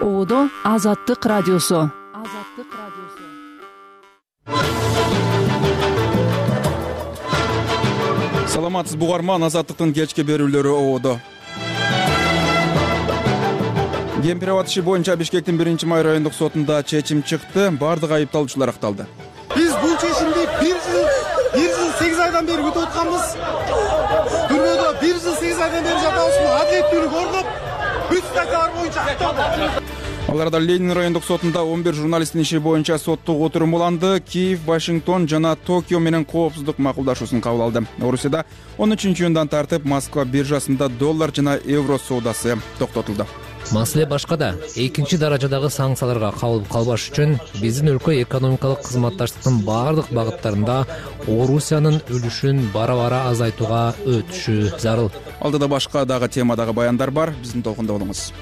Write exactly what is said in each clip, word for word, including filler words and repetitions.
Оодо Азаттык радиосу. Азаттык радиосу. Саламатсызбы угарман, Азаттыктын кечки берүүлөрү Оодо. Кемпирабад иши боюнча Бишкектин биринчи май райондук сотунда чечим чыкты. Бардык айыпталуучулар акталды. Биз бул чечимди бир жыл бир жыл сегиз айдан бери күтүп атканбыз. Түрмөдө бир жыл сегиз айдан бери жатабызбы? Адилеттүүлүк орноп, бүт статьялар боюнча акталды. Ал арада Ленин райондук сотунда он бир журналисттин иши боюнча соттук отурум уланды. Киев, Вашингтон жана Токио менен коопсуздук макулдашуусун кабыл алды. Орусияда он үчүнчү июндан тартып Москва биржасында доллар жана евро соодасы токтотулду. Маселе башкада. Экинчи даражадагы санкцияларга кабылып калбаш үчүн биздин өлкө экономикалык кызматташтыктын баардык багыттарында Орусиянын үлүшүн бара-бара азайтууга өтүшү зарыл. Алдыда башка дагы темадагы баяндар бар. Биздин толкунда болуңуз.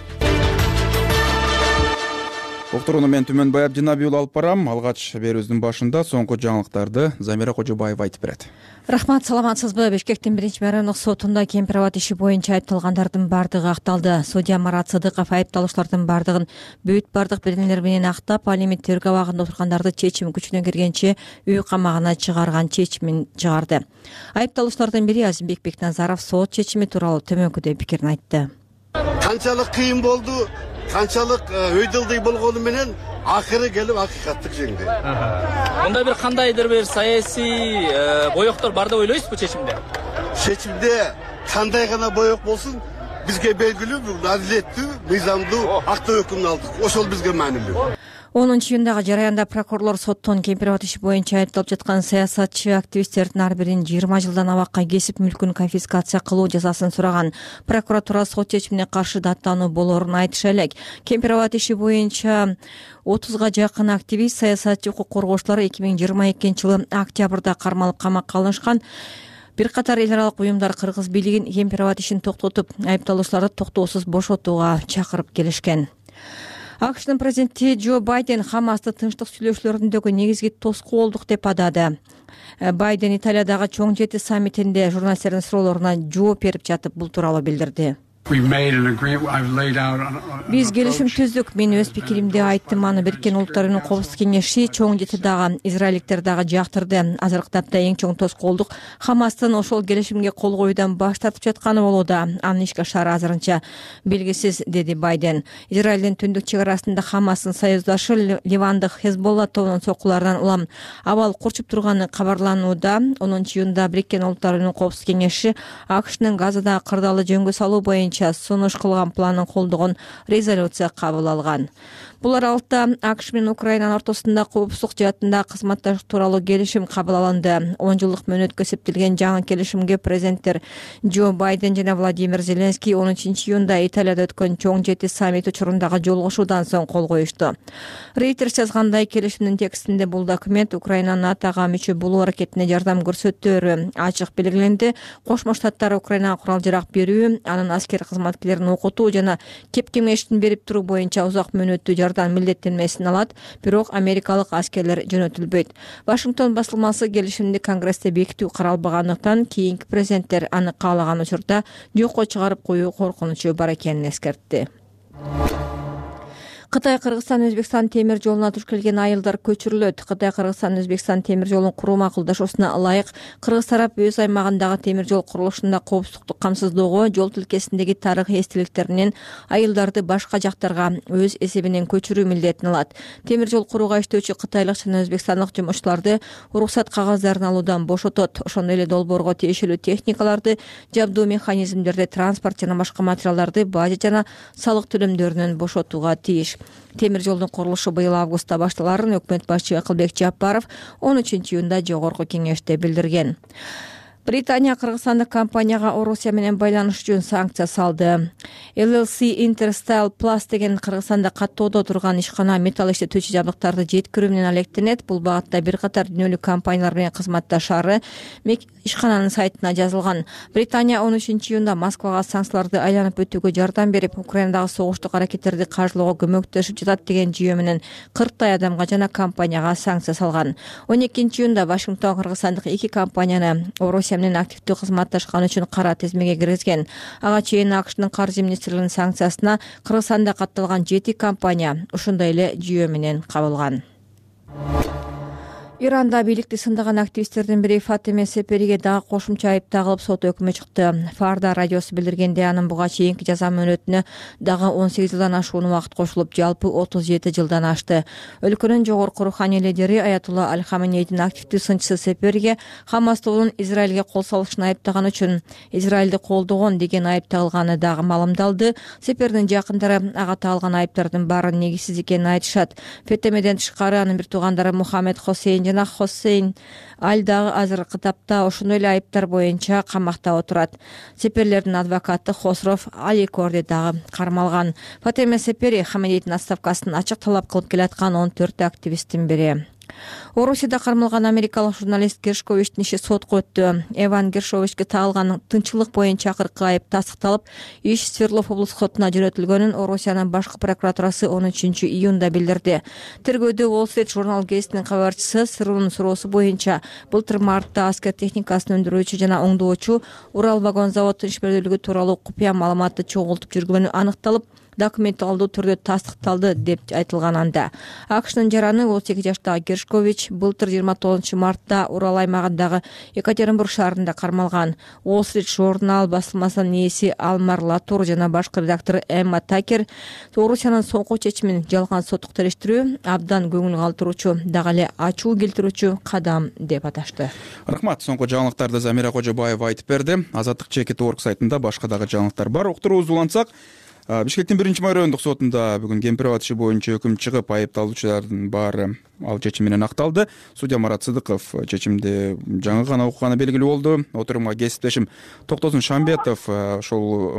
Уктурууну мен Түмөнбай Абдинабиул алып барам. Алгач берүүбүздүн башында соңку жаңылыктарды Замира Кожобаева айтып берет. Рахмат, саламатсызбы? Бишкектин биринчи май райондук сотунда Кемпирабад иши боюнча айыпталгандардын бардыгы акталды. Судья Марат Сыдыков айыпталуучулардын бардыгын бүт бардык белгилер менен актап, ал эми тергөө абагында отургандарды чечим күчүнө киргенче үй камагына чыгарган чечимин чыгарды. Айыпталуучулардын бири Азимбек Бекназаров сот чечими тууралуу төмөнкүдөй пикирин айтты. Канчалык кыйын болду, канчалык өйдөлдөй болгону менен акыры келип акыйкаттык жеңди. Мындай бир кандайдыр бир саясий боёктор бар деп ойлойсузбу чечимде? Чечимде кандай гана боёк болсун, бизге белгилүү бул адилеттүү, мыйзамдуу актуу өкүмдү алдык. Ошол бизге маанилүү. онунчу июндагы жараянда прокурорлор соттон Кемпирабад иши боюнча айыпталып жаткан саясатчы активисттердин ар бирин жыйырма жылдан абакка кесип мүлкүн конфискация кылуу жазасын сураган. Прокуратура сот чечимине каршы даттануу болоорун айтыша элек. Кемпирабад иши боюнча отузга жакын активист, саясатчы, укук коргоочулар эки миң жыйырма экинчи жылы октябрда кармалып камакка алынышкан. Бир катар эл аралык уюмдар кыргыз бийлигин Кемпирабад ишин токтотуп, айыпталуучуларды токтоосуз бошотууга чакырып келишкен. АКШнын президенти Джо Байден Хамасты тынчтык сүйлөшүүлөрүндөгү негизги тоскоо болдук деп атады. Байден Италиядагы чоң жети саммитинде журналисттердин суроолоруна жооп берип жатып бул тууралуу билдирди. Биз келишим түздүк. Мен өз пикиримди айттым. Аны Бириккен Улуттар Уюмунун Коопсуздук кеңеши, чоң жети дагы, израилдиктер дагы жактырды. Азыркы тапта эң чоң тоскоолдук Хамастын ошол келишимге кол коюудан баш тартып жатканы болууда. Анын ишке ашары азырынча белгисиз, деди Байден. Израилдин түндүк чек арасында Хамастын союздашы Ливандык Хезболла тобунун соккуларынан улам абал курчуп турганы кабарланууда. онунчу июнда Бириккен Улуттар Уюмунун Коопсуздук кеңеши АКШнын Газада кырдаалы жөнгө салуу боюнча сунуш кылган планын колдогон резолюция кабыл алган. Бул аралыкта АКШ менен Украинанын ортосунда коопсуздук жаатында кызматташтык тууралуу келишим кабыл алынды. он жылдык мөөнөткө эсептелген жаңы келишимге президенттер Джо Байден жана Владимир Зеленский он үчүнчү июнда Италияда өткөн чоң жети саммит учурундагы жолугушуудан соң кол коюшту. Reuters жазгандай, келишимдин текстинде бул документ Украинанын НАТОго мүчө болуу аракетине жардам көрсөтөөрү ачык белгиленди. Кошмо Штаттар Украинага курал-жарак берүү, анын аскер кызматкерлерин окутуу жана кеп кеңештин берип туруу боюнча узак мөөнөттүү жардам милдеттенмесин алат, бирок америкалык аскерлер жөнөтүлбөйт. Вашингтон басылмасы келишимди Конгрессте бекитүү каралбагандыктан кийинки президенттер аны каалаган учурда жокко чыгарып коюу коркунучу бар экенин эскертти. Кытай Кыргызстан Өзбекстан темир жолуна туш келген айылдар көчүрүлөт. Кытай Кыргызстан Өзбекстан темир жолун куруу макулдашуусуна ылайык Кыргыз тарап өз аймагындагы темир жол курулушунда коопсуздукту камсыздоого, жол тилкесиндеги тарыхый эстеликтеринен айылдарды башка жактарга өз эсебинен көчүрүү милдетин алат. Темир жол курууга иштөөчү кытайлык жана өзбекстандык жумушчуларды уруксат кагаздарын алуудан бошотот. Ошондой эле долбоорго тиешелүү техникаларды, жабдуу механизмдерди, транспорт жана башка материалдарды бажа жана салык төлөмдөрүнөн бошотууга тийиш. Темир жолдун курулушу быйыл августта башталарын өкмөт башчы Акылбек Жапаров он үчүнчү июнда жогорку кеңеште билдирген. Британия кыргызстандык компанияга Орусия менен байланыш үчүн санкция салды. эл эл си Interstyle Plus деген Кыргызстанда каттоодо турган ишкана металл иштетүүчү жабдыктарды жеткирүү менен алектенет. Бул багытта бир катар дүйнөлүк компаниялар менен кызматташары ишкананын сайтына жазылган. Британия он үчүнчү июнда Москвага санкцияларды айланып өтүүгө жардам берип, Украинадагы согуштук аракеттерди каржылоого көмөктөшүп жатат деген жүйө менен кырктай адамга жана компанияга санкция салган. он экинчи июнда Вашингтон кыргызстандык эки компанияны Орусия менен активдүү кызматташканы үчүн кара тизмеге киргизген. Ага чейин АКШнын каржы министрлигинин санкциясына Кыргызстанда катталган жети компания ушундай эле жүйө менен кабылган. Иранда бийликти сындаган активисттердин бири Фатеме Сепериге дагы кошумча айып тагылып сот өкүмү чыкты. Фарда радиосу билдиргенде анын буга чейинки жаза мөөнөтүнө дагы он сегиз жылдан ашуун убакыт кошулуп, жалпы отуз жети жылдан ашты. Өлкөнүн жогорку руханий лидери Аятулла Аль-Хаменейдин активдүү сынчысы Сепериге Хамас тобунун Израилге кол салышын айыптаган үчүн Израилди колдогон деген айып тагылганы дагы маалымдалды. Сепердин жакындары ага тагылган айыптардын баары негизсиз экенин айтышат. Фетемеден тышкары анын бир туугандары Мухаммед Хосейн жана Хосейн Аль дагы азыркы тапта ошондой эле айыптар боюнча камакта отурат. Сеперлердин адвокаты Хосров Аликорди дагы кармалган. Фатеме Сепери Хаменейдин отставкасын ачык талап кылып келаткан он төрт активисттин бири. Орусияда кармалган америкалык журналист Гершковичтин иши сотко өттү. Эван Гершковичке тагылган тынччылык боюнча акыркы айып тастыкталып, иш Свердлов облустук сотуна жөнөтүлгөнүн Орусиянын башкы прокуратурасы он үчүнчү июнда билдирди. Тергөөдө Wall Street журнал гезитинин кабарчысы Сырунун суроосу боюнча былтыр мартта аскер техникасын өндүрүүчү жана оңдоочу Урал вагон заводунун ишмердүүлүгү тууралуу купуя маалыматты чогултуп жүргөнү аныкталып, документалдуу түрдө тастыкталды деп айтылган анда. АКШнын жараны отуз эки жаштагы Гершкович былтыр жыйырма тогузунчу мартта Урал аймагындагы Екатеринбург шаарында кармалган. Wall Street журнал басылмасынын ээси Алмар Латур жана башкы редактору Эмма Такер Орусиянын соңку чечимин жалган соттук териштирүү абдан көңүл калтыруучу, дагы эле ачуу келтирүүчү кадам деп аташты. Рахмат. Соңку жаңылыктарды Замира Кожобаева айтып берди. Азаттык чекит орг сайтында башка дагы жаңылыктар бар. Уктуруубузду улантсак, Бишкектин биринчи май райондук сотунда бүгүн Кемпирабад иши боюнча өкүм чыгып, айыпталуучулардын баары ал чечим менен акталды. Судья Марат Сыдыков чечимди жаңы гана укканы белгилүү болду. Отурумга кесиптешим Токтосун Шамбетов ошол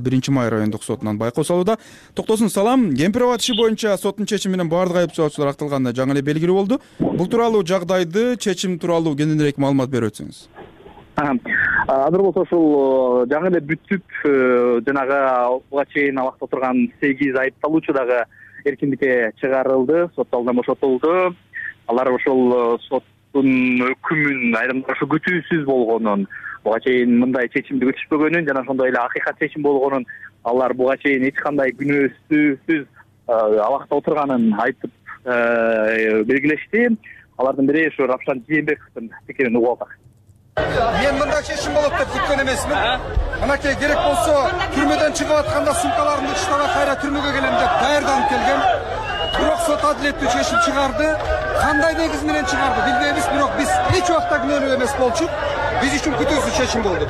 биринчи май райондук сотунан байкоо салууда. Токтосун, салам. Кемпирабад иши боюнча соттун чечими менен баардык айыпталуучулар акталганы жаңы эле белгилүү болду. Бул тууралуу жагдайды, чечим тууралуу кененирээк маалымат берип өтсөңүз. Азыр болсо ушул жаңы эле бүтүп, жанагы буга чейин абакта отурган сегиз айыпталуучу дагы эркиндикке чыгарылды, сот алдынан бошотулду. Алар ошол соттун өкүмүн айрымдар ушу күтүүсүз болгонун, буга чейин мындай чечимди күтүшпөгөнүн жана ошондой эле акыйкат чечим болгонун, алар буга чейин эч кандай күнөөсүз абакта отурганын айтып белгилешти. Алардын бири ушу Равшан Жээнбековдун пикирин угуп алдык. Мен мындай чечим болот деп күткөн эмесмин. Анакей керек болсо түрмөдөн чыгып атканда сумкаларымды таштап кайра түрмөгө келем деп даярданып келгем. Бирок сот адилеттүү чечим чыгарды. Кандай негиз менен чыгарды билбейбиз, бирок биз эч убакта күнөөлүү эмес болчук. Биз үчүн күтүүсүз чечим болду.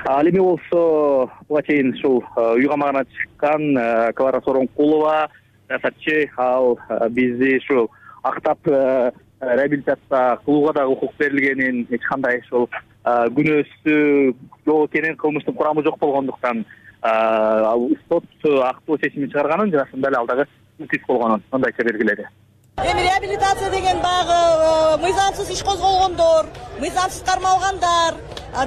Ал эми болсо буга чейин ушул үй камагына чыккан Клара Соронкулова саясатчы, ал бизди ушул актап реабилитация кылууга да укук берилгенин, эч кандай ушул күнөөсү жок экенин, кылмыштын курамы жок болгондуктан сот актуу чечимин чыгарганын жана ошондой эле ал дагы мотив болгонун мындайча белгиледи. Эми реабилитация деген баягы мыйзамсыз иш козголгондор, мыйзамсыз кармалгандар,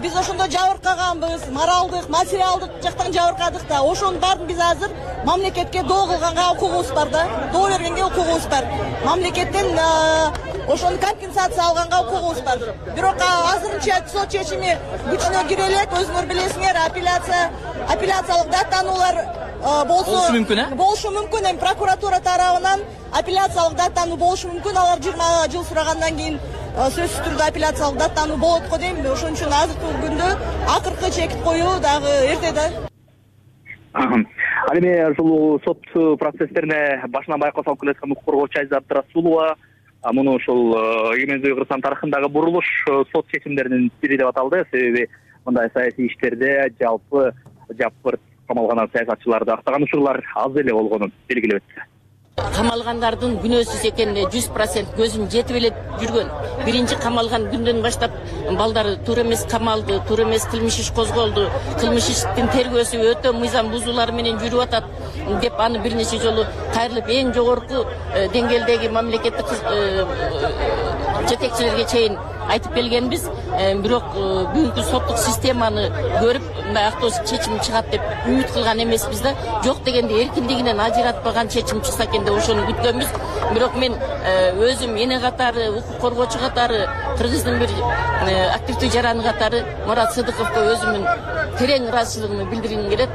биз ошондо жабыркаганбыз, моралдык, материалдык жактан жабыркадык да. Ошонун баарын биз азыр мамлекетке доо кылганга укугубуз бар да, доо бергенге укугубуз бар. Мамлекеттен ошону компенсация алганга укугубуз бар. Бирок азырынча сот чечими күчүнө кире элек, өзүңөр билесиңер, апелляция, апелляциялык даттануулар болсо мүмкүн, э? Болушу мүмкүн. Эми прокуратура тарабынан апелляциялык даттануу болушу мүмкүн. Алар жыйырма жыл сурагандан кийин сөзсүз түрдө апелляциялык даттануу болот го дейм. Ошон үчүн азыркы күндө акыркы чекит коюу дагы эрте да. Ал эми ушул сот процесстерине башынан байкоо салып келаткан укук коргоочу Айза Абдрасулова муну ушул Эгемендүү Кыргызстан тарыхындагы бурулуш сот чечимдеринин бири деп аталды. Себеби мындай саясий иштерде жалпы жапырт камалган саясатчыларды актаган учурлар аз эле болгонун белгилеп өттү. Камалгандардын күнөөсүз экенине жүз процент көзүм жетип эле жүргөн. Биринчи камалган күндөн баштап балдары туура эмес камалды, туура эмес кылмыш иш козголду. Кылмыш иштин тергөөсү өтө мыйзам бузуулары менен жүрүп атат деп аны бир нече жолу кайрылып эң жогорку деңгээлдеги мамлекеттик жетекчилерге чейин айтып келгенбиз. Бирок бүгүнкү соттук системаны көрүп мындай актоо чечим чыгат деп үмүт кылган эмеспиз да. Жок дегенде эркиндигинен ажыратпаган чечим чыкса экен деп ошону күткөнбүз. Бирок мен өзүм эне катары, укук коргоочу катары, Кыргыздын бир активдүү жараны катары Мурат Сыдыковго өзүмдүн терең ыраазычылыгымды билдиргим келет.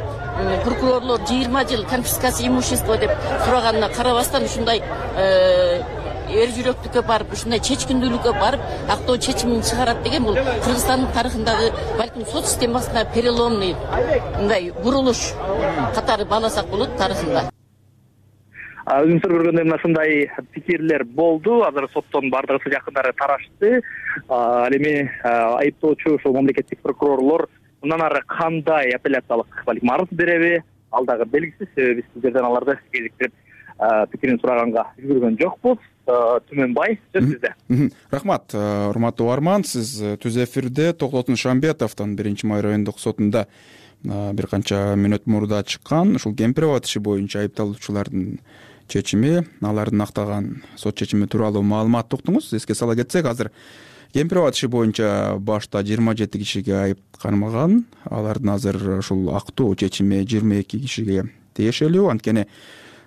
Прокурорлор жыйырма жыл конфискация имущества деп сураганына карабастан ушундай эр жүрөктүккө барып, ушундай чечкиндүүлүккө барып, актоо чечимин чыгарат деген бул Кыргызстандын тарыхындагы балким сот системасына переломный мындай бурулуш катары бааласак болот тарыхында. Өзүңүздөр көргөндөй мына ушундай пикирлер болду. Азыр соттон бардыгысы жакындары тарашты. Ал эми айыптоочу ошол мамлекеттик прокурорлор мындан ары кандай апелляциялык балким арыз береби, ал дагы белгисиз. Себеби биз сиздерден аларды кезиктирип пикирин сураганга үлгүргөн жокпуз. Түмөнбай, сөз сизде. Рахмат, урматтуу угарман. Сиз түз эфирде Токтотун Шамбетовдон биринчи май райондук сотунда бир канча мүнөт мурда чыккан ушул кемпир абад иши боюнча айыпталуучулардын чечими, алардын актаган сот чечими тууралуу маалымат уктуңуз. Эске сала кетсек, азыр кемпир абад иши боюнча башта жыйырма жети кишиге айып кармаган. Алардын азыр ушул актоо чечими жыйырма эки кишиге тиешелүү. Анткени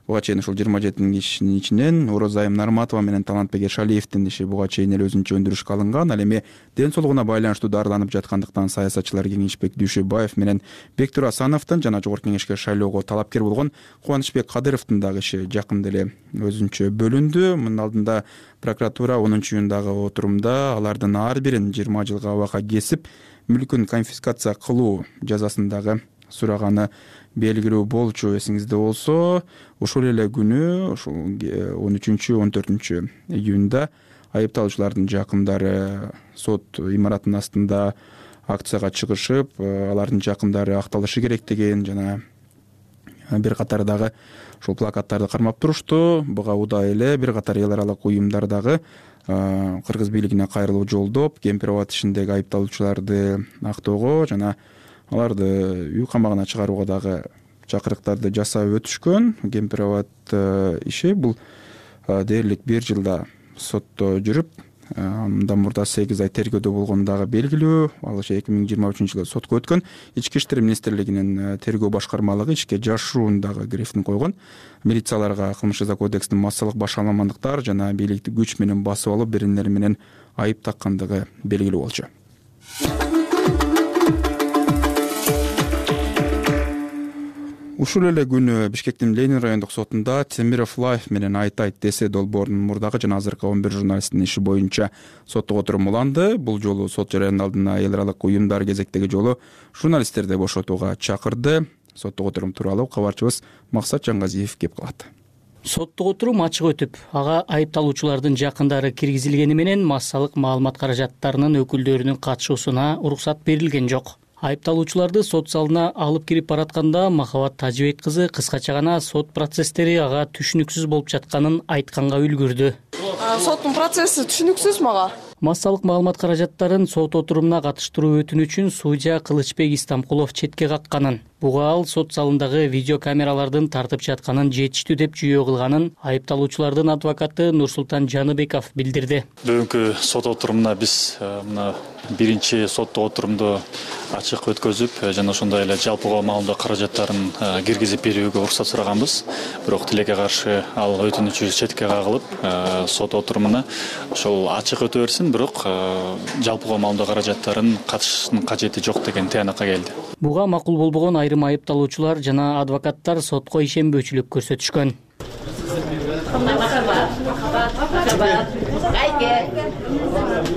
буга чейин ушул жыйырма жети кишинин ичинен Орозайым Нарматова менен Талантбек Эршалиевдин иши буга чейин эле өзүнчө өндүрүшкө алынган. Ал эми ден соолугуна байланыштуу дарыланып жаткандыктан саясатчылар Кеңешбек Дүйшөбаев менен Бектур Асановдун жана Жогорку Кеңешке шайлоого талапкер болгон Кубанычбек Кадыровдун дагы иши жакында эле өзүнчө бөлүндү. Мунун алдында прокуратура онунчу июндагы отурумда алардын ар бирин жыйырма жылга абакка кесип, мүлкүн конфискация кылуу жазасын дагы сураганы белгилүү болчу. Эсиңизде болсо, ошол эле күнү, ошол он үчүнчү он төртүнчү июнда айыпталуучулардын жакындары сот имаратынын астында акцияга чыгышып, алардын жакындары акталышы керек деген жана бир катар дагы ошол плакаттарды кармап турушту. Буга удай эле бир катар эл аралык уюмдар дагы кыргыз бийлигине кайрылуу жолдоп, кемпир абад ишиндеги айыпталуучуларды актоого жана аларды үй камагына чыгарууга дагы чакырыктарды жасап өтүшкөн. Кемпир абад иши бул дээрлик бир жылда сотто жүрүп, мындан мурда сегиз ай тергөөдө болгону дагы белгилүү. Ал иши эки миң жыйырма үчүнчү жылы сотко өткөн. Ички иштер министрлигинин тергөө башкармалыгы ишке жашыруун дагы грифин койгон. Милицияларга кылмыш жаза кодексинин массалык башаламандыктар жана бийликти күч менен басып алып беренелер менен айып таккандыгы белгилүү болчу. Ушул эле күнү Бишкектин Ленин райондук сотунда Темиров Лайф менен Айтайт Десе долбоорунун мурдагы жана азыркы он бир журналисттин иши боюнча соттук отурум уланды. Бул жолу сот жарыянын алдына эл аралык уюмдар кезектеги жолу журналисттерди бошотууга чакырды. Соттук отурум тууралуу кабарчыбыз Максат Жангазиев кеп калат. Соттук отурум ачык өтүп, ага айыпталуучулардын жакындары киргизилгени менен массалык маалымат каражаттарынын өкүлдөрүнүн катышуусуна уруксат берилген жок. Айыпталуучуларды сот залына алып кирип баратканда Махабат Тажыбек кызы кыскача гана сот процесстери ага түшүнүксүз болуп жатканын айтканга үлгүрдү. Соттун процесси түшүнүксүз мага. Массалык маалымат каражаттарын сот отурумуна катыштыруу өтүнүчүн судья Кылычбек Истамкулов четке какканын, буга ал сот залындагы видеокамералардын тартып жатканын жетиштүү деп жүйө кылганын айыпталуучулардын адвокаты Нурсултан Жаныбеков билдирди. Бүгүнкү сот отурумуна биз мына биринчи соттук отурумду ачык өткөзүп, жана ошондой эле жалпыга маалымдоо каражаттарын киргизип берүүгө уруксат сураганбыз. Бирок тилекке каршы ал өтүнүчү четке кагылып, сот отурумуна ошол ачык өтө берсин, бирок жалпыга маалымдоо каражаттарын катышыштын кажети жок деген тыянакка келди. Буга макул болбогон айрым айыпталуучулар жана адвокаттар сотко ишенбөөчүлүк көрсөтүшкөн.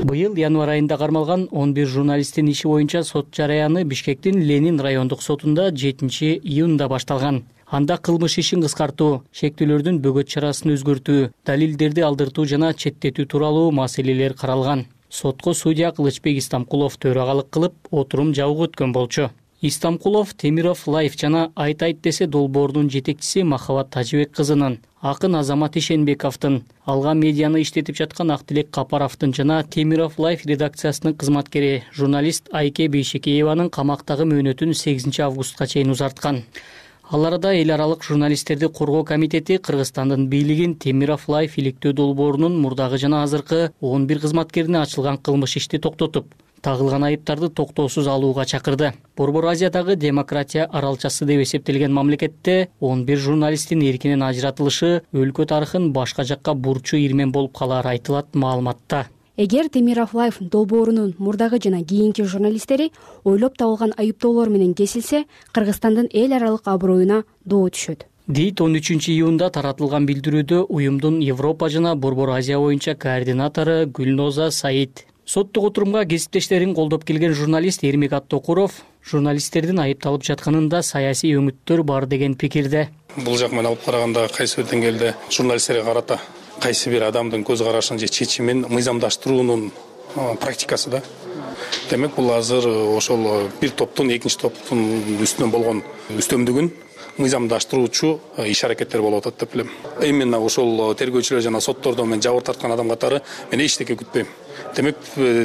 Быйыл январь айында кармалган он бир журналисттин иши боюнча сот жараяны Бишкектин Ленин райондук сотунда жетинчи июнда башталган. Анда кылмыш ишин кыскартуу, шектүүлөрдүн бөгөт чарасын өзгөртүү, далилдерди алдыртуу жана четтетүү тууралуу маселелер каралган. Сотко судья Кылычбек Истамкулов төрагалык кылып, отурум жабык өткөн болчу. Истамкулов Темиров Лайф жана Айтайт Десе долбоорунун жетекчиси Махабат Тажыбек кызынын, акын Азамат Ишенбековдун, алга медианы иштетип жаткан Актилек Капаровдун жана Темиров Лайф редакциясынын кызматкери журналист Айке Бейшекееванын камактагы мөөнөтүн сегизинчи августка чейин узарткан. Ал арада эл аралык журналисттерди коргоо комитети Кыргызстандын бийлигин Темиров Лайф иликтөө долбоорунун мурдагы жана азыркы он бир кызматкерине ачылган кылмыш ишти токтотуп, тагылган айыптарды токтоосуз алууга чакырды. Борбор Азиядагы демократия аралчасы деп эсептелген мамлекетте он бир журналисттин эркинен ажыратылышы өлкө тарыхын башка жакка бурчу ирмен болуп калары айтылат маалыматта. Эгер Темиров Лайф долбоорунун мурдагы жана кийинки журналисттери ойлоп табылган айыптоолор менен кесилсе, Кыргызстандын эл аралык аброюна доо түшөт, дейт он үчүнчү июнда таратылган билдирүүдө уюмдун Европа жана Борбор Азия боюнча координатору Гүлноза Саид. Соттук отурумга кесиптештерин колдоп келген журналист Эрмек Аттокуров журналисттердин айыпталып жатканында саясий өңүттөр бар деген пикирде. Бул жак менен алып караганда кайсы бир деңгээлде журналисттерге карата кайсы бир адамдын көз карашын же чечимин мыйзамдаштыруунун практикасы да. Демек бул азыр ошол бир топтун экинчи топтун үстүнөн болгон үстөмдүгүн мыйзамдаштыруучу иш аракеттер болуп атат деп билем. Именно ошол тергөөчүлөр жана соттордон мен жабыр тарткан адам катары мен эчтеке күтпөйм. Демек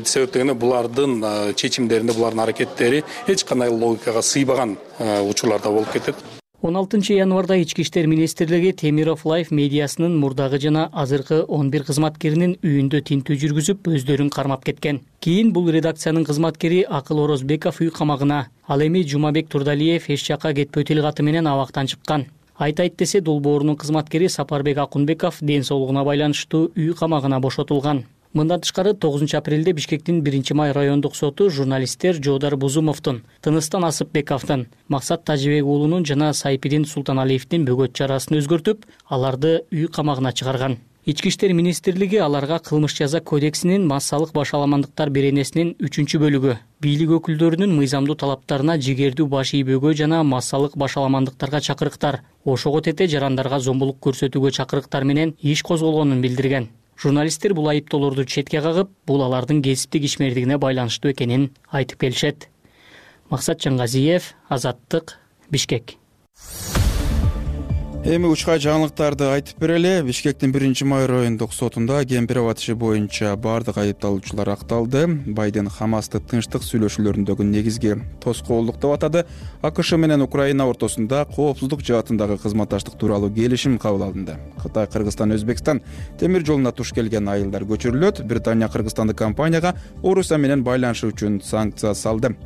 себеп дегенде булардын чечимдеринде, булардын аракеттери эч кандай логикага сыйбаган учурларда болуп кетет. он алтынчы январда Ички иштер министрлиги Темиров Лайф медиасынын мурдагы жана азыркы он бир кызматкеринин үйүндө тинтүү жүргүзүп, өздөрүн кармап кеткен. Кийин бул редакциянын кызматкери Акыл Орозбеков үй камагына, ал эми Жумабек Турдалиев эч жакка кетпөө тилгаты менен абактан чыккан. Айтайт десе, долбоорунун кызматкери Сапарбек Акунбеков ден соолугуна байланыштуу үй камагына бошотулган. Мындан тышкары тогузунчу апрелде Бишкектин биринчи май райондук соту журналисттер Жоодар Бузумовдун, Тыныстан Асыпбековдун, Максат Тажибек уулунун жана Сайпидин Султаналиевдин бөгөт чарасын өзгөртүп, аларды үй камагына чыгарган. Ички иштер министрлиги аларга кылмыш жаза кодексинин массалык башаламандыктар беренесинин үчүнчү бөлүгү, бийлик өкүлдөрүнүн мыйзамдуу талаптарына жигердүү баш ийбөөгө жана массалык башаламандыктарга чакырыктар, ошого тете жарандарга зомбулук көрсөтүүгө чакырыктар менен иш козголгонун билдирген. Журналисттер бул айыптоолорду четке кагып, бул алардын кесиптик ишмердигине байланыштуу экенин айтып келишет. Максат Чаңгазиев, Азаттык, Бишкек. Эми учка жаңылыктарды айтып берели. Бишкектин биринчи май райондук сотунда Кемпиров иши боюнча бардык айыпталуучулар акталды. Байден Хамасты тынчтык сүйлөшүүлөрүндөгү негизги тоскоолдук деп атады. АКШ менен Украина ортосунда коопсуздук жаатындагы кызматташтык тууралуу келишим кабыл алынды. Кытай, Кыргызстан, Өзбекстан темир жолуна туш келген айылдар көчүрүлөт. Британия кыргызстандык компанияга Орусия менен байланышы үчүн санкция салды.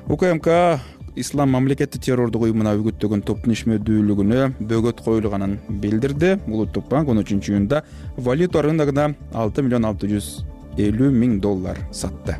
УКМК Ислам мамлекети террордук уюмуна үгүттөгөн топтун ишмердүүлүгүнө бөгөт коюлганын билдирди. Улуттук банк он үчүнчү июнда валюта рыногуна алты миллион алты жүз элүү миң доллар сатты.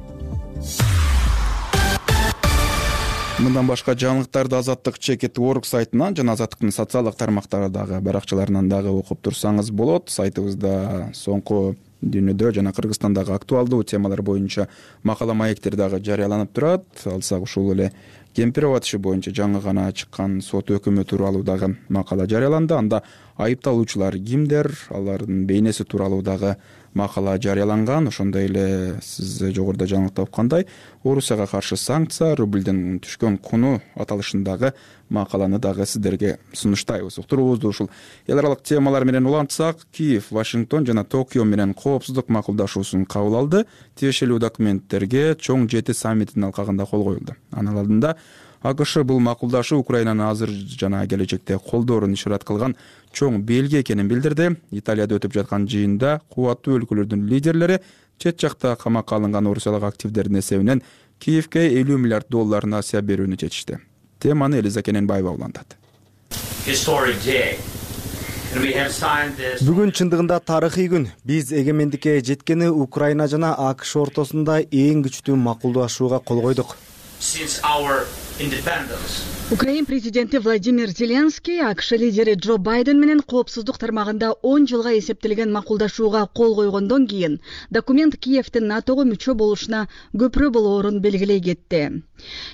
Мындан башка жаңылыктарды Азаттык чекит точка орг сайтынан жана Азаттыктын социалдык тармактардагы баракчаларынан дагы окуп турсаңыз болот. Сайтыбызда соңку дүйнөдө жана Кыргызстандагы актуалдуу темалар боюнча макала маектер дагы жарыяланып турат. Алсак ушул эле Кемпиров иши боюнча жаңы гана чыккан сот өкүмү тууралуу дагы макала жарыяланды. Анда айыпталуучулар кимдер, алардын бейнеси тууралуу дагы макала жарыяланган. Ошондой эле сиз жогоруда жаңылыкта окугандай Орусияга каршы санкция, рубльдин түшкөн куну аталышындагы макаланы дагы сиздерге сунуштайбыз. Уктуруубузду ушул эл аралык темалар менен улантсак, Киев, Вашингтон жана Токио менен коопсуздук макулдашуусун кабыл алды. Тиешелүү документтерге чоң жети саммитинин алкагында кол коюлду. Анын алдында АКШ бул макулдашуу Украинаны азыр жана келечекте колдоорун ишарат кылган чоң белги экенин билдирди. Италияда өтүп жаткан жыйында кубаттуу өлкөлөрдүн лидерлери чет жакта камакка алынган орусиялык активдердин эсебинен Киевке элүү миллиард доллар насыя берүүнү чечишти. Теманы Элиза Кененбаева улантат. Бүгүн чындыгында тарыхый күн. Биз эгемендикке жеткени Украина жана АКШ ортосунда эң күчтүү макулдашууга кол койдук. Украин президенти Владимир Зеленский АКШ лидери Джо Байден менен коопсуздук тармагында он жылга эсептелген макулдашууга кол койгондон кийин документ Киевдин НАТОго мүчө болушуна көпүрө болоорун белгилей кетти.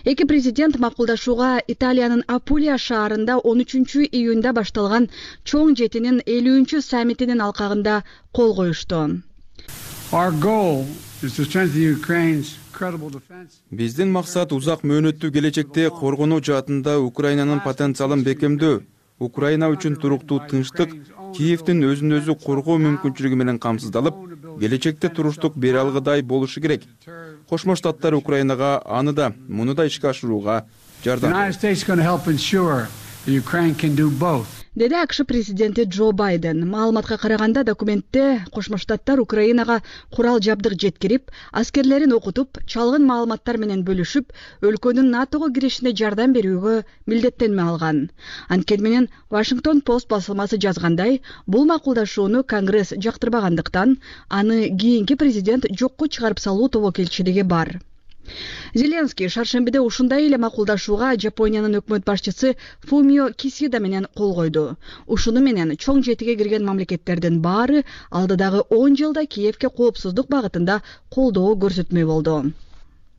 Эки президент макулдашууга Италиянын Апулия шаарында он үчүнчү июнда башталган чоң жетинин элүүнчү саммитинин алкагында кол коюшту. Биздин максат узак мөөнөттүү келечекте коргонуу жаатында Украинанын потенциалын бекемдөө, Украина үчүн туруктуу тынчтык, Киевдин өзүн өзү коргоо мүмкүнчүлүгү менен камсыздалып, келечекте туруштук бере алгыдай болушу керек. Кошмо Штаттар Украинага аны да, муну да ишке ашырууга жардам берет. Ukraine can do both. Деди АКШ президенти Джо Байден. Маалыматка караганда документте Кошмо Штаттар Украинага курал жабдык жеткирип, аскерлерин окутуп, чалгын маалыматтар менен бөлүшүп, өлкөнүн НАТОго киришине жардам берүүгө милдеттенме алган. Анткени менен Вашингтон Пост басылмасы жазгандай, бул макулдашууну Конгресс жактырбагандыктан аны кийинки президент жокко чыгарып салуу тобокелчилиги бар. Зеленский шаршембиде ушундай эле макулдашууга Жапониянын өкмөт башчысы Фумио Кисида менен кол койду. Ушуну менен чоң жетиге кирген мамлекеттердин баары алдыдагы он жылда Киевке коопсуздук багытында колдоо көрсөтмөй болду.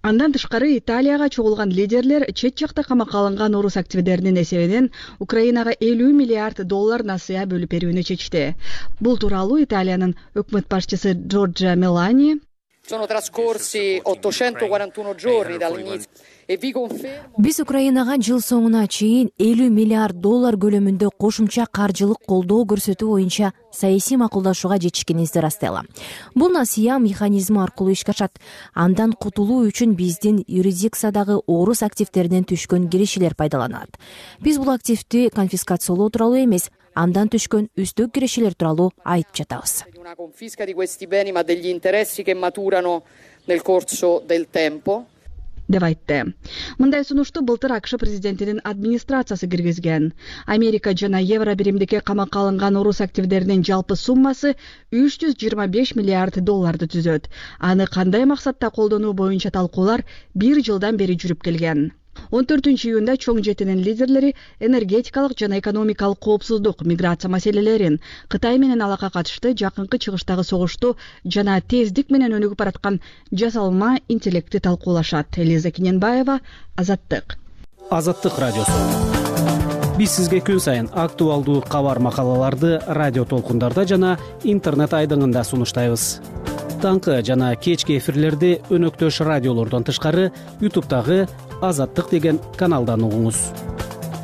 Андан тышкары Италияга чогулган лидерлер чет жакта камакка алынган орус активдеринин эсебинен Украинага элүү миллиард доллар насыя бөлүп берүүнү чечти. Бул тууралуу Италиянын өкмөт башчысы Джорджа Мелани Sono trascorsi ottocentoquarantuno giorni dall'inizio e vi confermo. Биз Украинага жыл соңуна чейин элүү миллиард доллар көлөмүндө кошумча каржылык колдоо көрсөтүү боюнча саясий макулдашууга жетишкенибизди растайлам. Бул насыя механизми аркылуу ишке ашат. Андан кутулуу үчүн биздин юрисдикциядагы орус активдеринен түшкөн кирешелер пайдаланат. Биз бул активди конфискациялоо тууралуу эмес, андан түшкөн үстөк кирешелер тууралуу айтып жатабыз. Una confisca di questi beni ma degli interessi che maturano nel corso del tempo. деп айтты. Мындай сунушту былтыр АКШ президентинин администрациясы киргизген. Америка жана евро биримдикке камакка алынган орус активдеринин жалпы суммасы үч жүз жыйырма беш миллиард долларды түзөт. Аны кандай максатта колдонуу боюнча талкуулар бир жылдан бери жүрүп келген. он төртүнчү июнда чоң жетинин лидерлери энергетикалык жана экономикалык коопсуздук, миграция маселелерин, Кытай менен алака катышты жакынкы чыгыштагы согушту жана тездик менен өнүгүп бараткан жасалма интеллектти талкуулашат. Элиза Киненбаева, Азаттык. Азаттык радиосу. Биз сизге күн сайын актуалдуу кабар макалаларды радио толкундарда жана интернет айдыңында сунуштайбыз. Таңкы жана кечки эфирлерди өнөктөш радиолордон тышкары ютубтагы Азаттык деген каналдан угуңуз.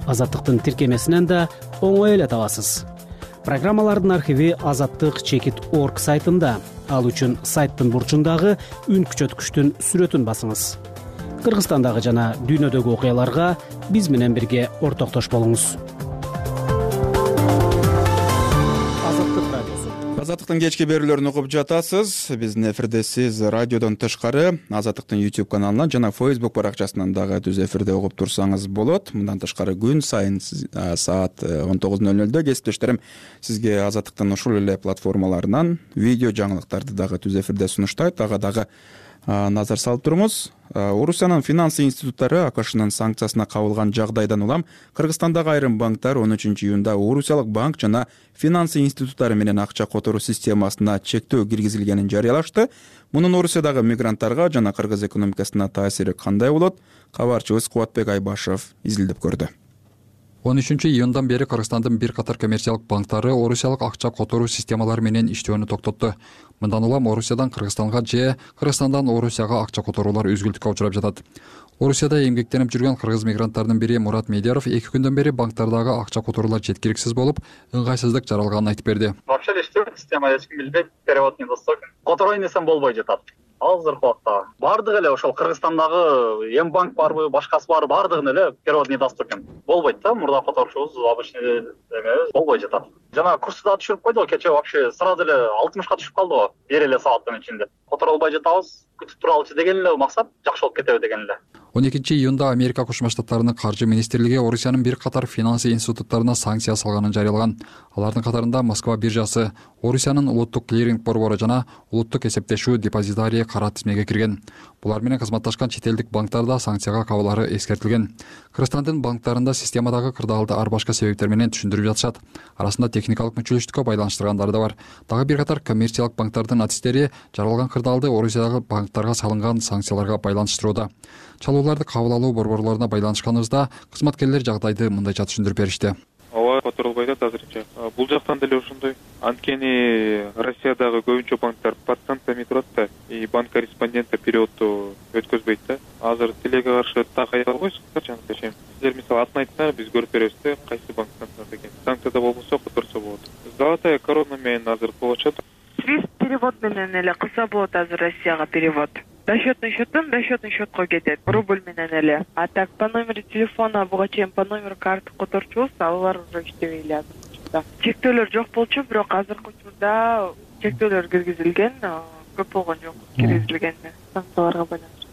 Азаттыктын тиркемесинен да оңой эле табасыз. Программалардын архиви азаттык чекит орг сайтында. Ал үчүн сайттын бурчундагы үн күчөткүчтүн сүрөтүн басыңыз. Кыргызстандагы жана дүйнөдөгү окуяларга биз менен бирге ортоктош болуңуз. Азаттыктын кечки берүүлөрүн угуп жатасыз. Биздин эфирде сиз радиодон тышкары Азаттыктын YouTube каналынан жана Facebook баракчасынан дагы түз эфирде угуп турсаңыз болот. Мындан тышкары күн сайын саат он тогуз ноль нолдо кесиптештерим сизге Азаттыктын ушул эле платформаларынан видео жаңылыктарды дагы түз эфирде сунуштайт. Ага дагы назар салып туруңуз. Орусиянын финансы институттары АКШнын санкциясына кабылган жагдайдан улам Кыргызстандагы айрым банктар он үчүнчү июнда Орусиялык банк жана финансы институттары менен акча которуу системасына чектөө киргизилгенин жарыялашты. Мунун Орусиядагы мигранттарга жана кыргыз экономикасына таасири кандай болот? Кабарчыбыз Кубатбек Айбашев изилдеп көрдү. он үчүнчү июндан бери Кыргызстандын бир катар коммерциялык банктары Орусиялык акча которуу системалары менен иштөөнү токтотту. Мындан улам Орусиядан Кыргызстанга же Кыргызстандан Орусияга акча которуулар үзгүлтүккө учурап жатат. Орусияда эмгектенип жүргөн кыргыз мигранттарынын бири Мурат Медяров эки күндөн бери банктардагы акча которуулар жеткиликсиз болуп, ыңгайсыздык жаралганын айтып берди. Вообще иштебейт, система эч ким билбейт, перевод недоступен. Которой несем болбой жатат. Азыр убакта бардыгы эле ошол Кыргызстандагы эм банк барбы, башкасы барбы, бардыгын эле перевод недоступен. Болбойт да, мурда которушубуз обычный эмебиз болбой жатат. Жана курсы да түшүрүп койду, кечээ вообще сразу эле алтымышка түшүп калды, бир эле сааттын ичинде. Которолбой жатабыз, күтүп туралычы деген эле максат, жакшы болуп кетеби деген эле. он экинчи июнда Америка Кошмо Штаттарынын каржы министрлиги Орусиянын бир катар финансы институттарына санкция салганын жарыялаган. Алардын катарында Москва биржасы, Орусиянын улуттук клиринг борбору жана улуттук эсептешүү депозитарий кара тизмеге кирген. Булар менен кызматташкан чет элдик банктарда санкцияга кабылары эскертилген. Кыргызстандын банктарында системадагы кырдаалды ар башка себептер менен түшүндүрүп жатышат. Арасында техникалык мүчөлүштүккө байланыштыргандары да бар. Дагы бир катар коммерциялык банктардын атистери жаралган кырдаалды Орусиядагы банктарга салынган санкцияларга байланыштырууда. Чалууларды кабыл алуу борборлоруна байланышканыбызда кызматкерлер жагдайды мындайча түшүндүрүп беришти. Ооба, которолбой атат азырынча. Бул жактан деле ошондой. Анткени Россиядагы көбүнчө банктар под санкциями турат да, и банк корреспонденттер переводду өткөзбөйт да. Азыр тилеге каршы так айта албайсыз, жанагыча. Сиздер мисалы атын айтса, биз көрүп беребиз да, кайсы банк санкцияда экен. Санкцияда болбосо которсо болот. Золотая корона менен азыр болочу. Свифт перевод менен эле кылса болот азыр Россияга перевод. Расчетный счеттен расчетный счетко кетет, рубль менен эле. А так по номеру телефона буга чейин по номеру карты которчубуз, алар уже иштебей эле азыркы. Чектөөлөр жок болчу, бирок азыркы учурда чектөөлөр киргизилген, көп болгон жок киргизилген санкцияларга байланыштуу.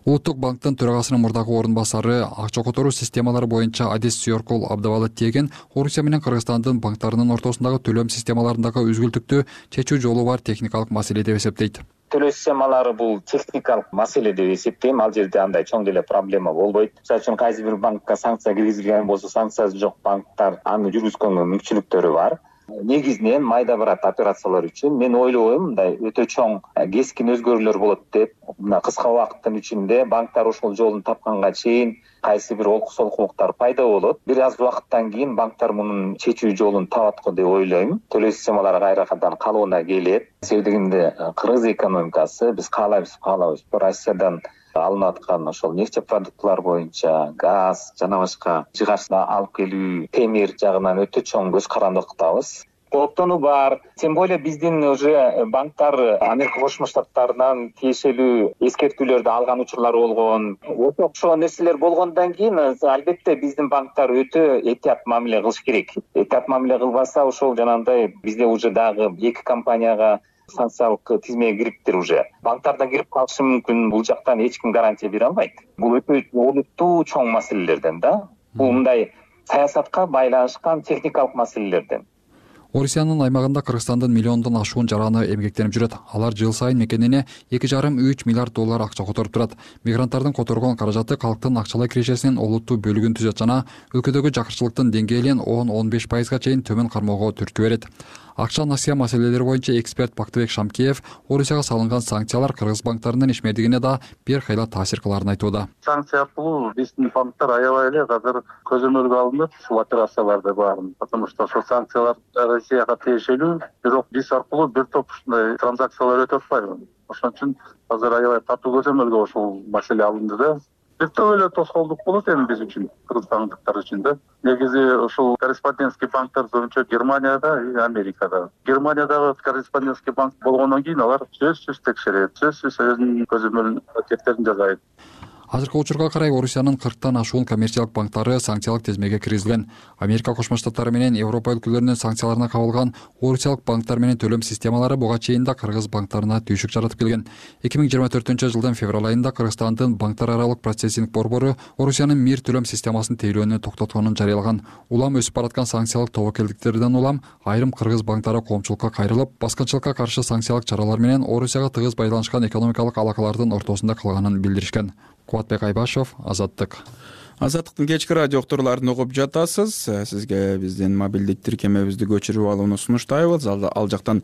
Улуттук банктын төрагасынын мурдагы орун басары акча которуу системалары боюнча Адис Сүйөркул абдыбалы тиеген Орусия менен Кыргызстандын банктарынын ортосундагы төлөм системаларындагы үзгүлтүктү чечүү жолу бар техникалык маселе деп эсептейт. Төлөө системалары бул техникалык маселе деп эсептейм. Ал жерде андай чоң деле проблема болбойт. Мисалы үчүн кайсы бир банкка санкция киргизилген болсо, санкциясы жок банктар аны жүргүзгөнгө мүмкүнчүлүктөрү бар. Негизинен майда барат операциялар үчүн мен ойлойм, мындай өтө чоң кескин өзгөрүүлөр болот деп, мына кыска убакыттын ичинде банктар ошол жолун тапканга чейин кайсы бир олкусолкулуктар пайда болот. Бир аз убакыттан кийин банктар мунун чечүү жолун табат го деп ойлойм. Төлөө системалары кайрадан калыбына келет. Себеби дегенде Кыргыз экономикасы биз каалайбыз, каалабыз, Россиядан алынып аткан ошол нефть продуктлар боюнча газ жана башка жыгачты алып келүү, темир жагынан өтө чоң көз карандылыктабыз. Кооптонуу бар. Тем более биздин уже банктар Америка Кошмо Штаттарынан тиешелүү эскертүүлөрдү алган учурлар болгон. Ошол нерселер болгондон кийин албетте биздин банктар өтө этият мамиле кылыш керек. Этият мамиле кылбаса ошол жанагындай бизде уже дагы эки компанияга санкциялык тизмеге кириптир уже. Банктардан кирип калышы мүмкүн, бул жактан эч ким гарантия бере албайт. Бул өтө олуттуу чоң маселелерден да. Бул мындай саясатка байланышкан техникалык маселелерден. Орусиянын аймагында Кыргызстандын миллиондон ашуун жараны эмгектенип жүрөт. Алар жыл сайын мекенине эки жарым үч миллиард доллар акча которуп турат. Мигранттардын которгон каражаты калктын акчалай кирешесинин олуттуу бөлүгүн түзөт жана өлкөдөгү жакырчылыктын деңгээлин он он беш пайызга чейин төмөн кармоого түрткү берет. Акча насыя маселелери боюнча эксперт Бактыбек Шамкеев Орусияга салынган санкциялар кыргыз банктарынын ишмердигине да бир кайла таасир кылаарын айтууда. Санкция аркылуу биздин банктар аябай эле азыр көзөмөлгө алынып ушул операцияларды баарын, потому что ошол санкциялар Россияга тиешелүү, бирок биз аркылуу бир топ ушундай транзакциялар өтүп атпайбы. Ошон үчүн азыр аябай катуу көзөмөлгө ошол маселе алынды да. Бир топ эле тоскоолдук болот эми биз үчүн, кыргызстандыктар үчүн да. Негизи ошол корреспондентский банктар боюнча Германияда и Америкада. Германиядагы корреспондентский банк болгондон кийин алар сөзсүз текшерет, сөзсүз өзүнүн көзөмөл аракеттерин жасайт. Азыркы учурга карай Орусиянын кырктан ашуун коммерциялык банктары санкциялык тизмеге киргизилген. Америка Кошмо Штаттары менен Европа өлкөлөрүнүн санкцияларына кабылган Орусиялык банктар менен төлөм системалары буга чейин да кыргыз банктарына түйшүк жаратып келген. эки миң жыйырма төртүнчү жылдын февраль айында Кыргызстандын банктар аралык процессинг борбору Орусиянын мир төлөм системасын тейлөөнү токтотконун жарыялаган. Улам өсүп бараткан санкциялык тобокелдиктерден улам айрым кыргыз банктары коомчулукка кайрылып, баскынчылыкка каршы санкциялык чаралар менен Орусияга тыгыз байланышкан экономикалык алакалардын ортосунда калганын билдиришкен. Кубатбек Айбашев, Азаттык. Азаттыктын кечки радио уктурууларын угуп жатасыз. Сизге биздин мобилдик тиркемебизди көчүрүп алууну сунуштайбыз. Ал жактан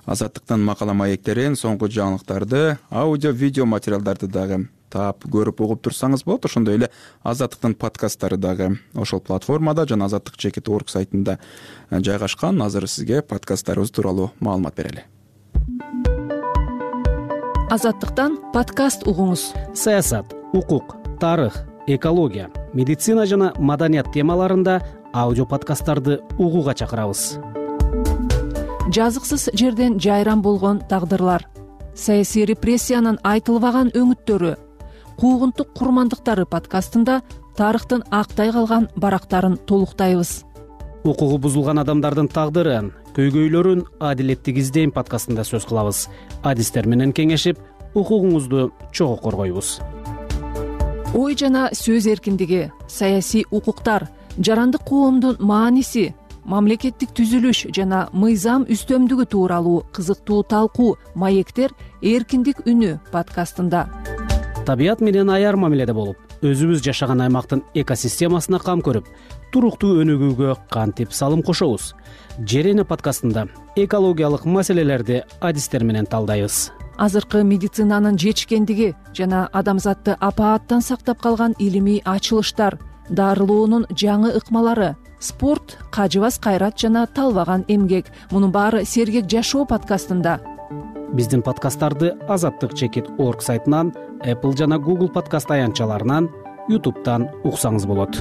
Азаттыктын макала маектерин, соңку жаңылыктарды, аудио, видео материалдарды дагы таап көрүп угуп турсаңыз болот. Ошондой эле Азаттыктын подкасттары дагы ошол платформада жана азаттык чекит орг сайтында жайгашкан. Азыр сизге подкасттарыбыз тууралуу маалымат берели. Азаттыктан подкаст угуңуз. Саясат, укук, тарых, экология, медицина жана маданият темаларында аудио подкасттарды угууга чакырабыз. Жазыксыз жерден жайран болгон тагдырлар, саясий репрессиянын айтылбаган өңүттөрү, куугунтук курмандыктары подкастында тарыхтын актай калган барактарын толуктайбыз. Укугу бузулган адамдардын тагдырын, көйгөйлөрүн адилеттик издейм подкастында сөз кылабыз. Адистер менен кеңешип, укугуңузду чогуу коргойбуз. Ой жана сөз эркиндиги, саясий укуктар, жарандык коомдун мааниси, мамлекеттик түзүлүш жана мыйзам үстөмдүгү тууралуу кызыктуу талкуу маектер эркиндик үнү подкастында. Табият менен аяр мамиледе болуп, өзүбүз жашаган аймактын экосистемасына кам көрүп, туруктуу өнүгүүгө кантип салым кошобуз. Жерене подкастында экологиялык маселелерди адистер менен талдайбыз. Азыркы медицинанын жетишкендиги жана адамзатты апааттан сактап калган илимий ачылыштар, дарылоонун жаңы ыкмалары, спорт, кажыбас кайрат жана талбаган эмгек. Мунун баары сергек жашоо подкастында. Биздин подкасттарды азаттык чекит орг сайтынан, Apple жана Google подкаст аянтчаларынан, YouTube'дан уксаңыз болот.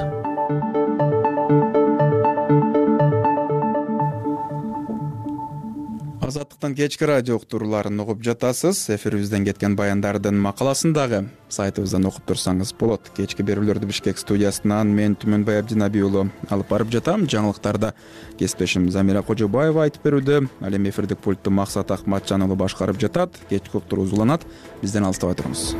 Азаттык аймактын кечки радио уктурууларын угуп жатасыз. Эфирибизден кеткен баяндардын макаласын дагы сайтыбыздан окуп турсаңыз болот. Кечки берүүлөрдү Бишкек студиясынан мен Түмөнбай Абдинаби уулу алып барып жатам. Жаңылыктарда кесиптешим Замира Кожобаева айтып берүүдө. Ал эми эфирдик пультту Максат Акматжан уулу башкарып жатат. Кечки уктуруу узуланат. Бизден алыстабай туруңуз.